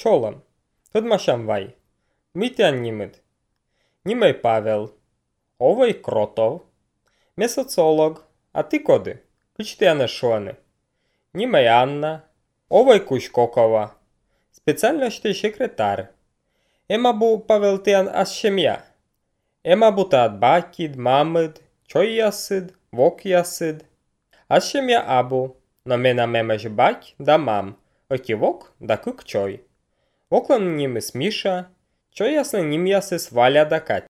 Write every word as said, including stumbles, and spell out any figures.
Чолам. Тут машам вай. Митян нимит. Нимей Павел. Овой Кротов. Ме социолог. А ти коди? Кичтяне шони. Нимей Анна. Овой Кушкокова. Специальностей секретар. Ема бу Павел тян асшемя. Ема бу таат бакид, мамид, чой ясид, вок ясид. Асшемя абу. Но мена мемеш бак да мам. Оки вок да кук чой. Воклан нимис Миша. Чой ясна ним ясис Валя да Катя.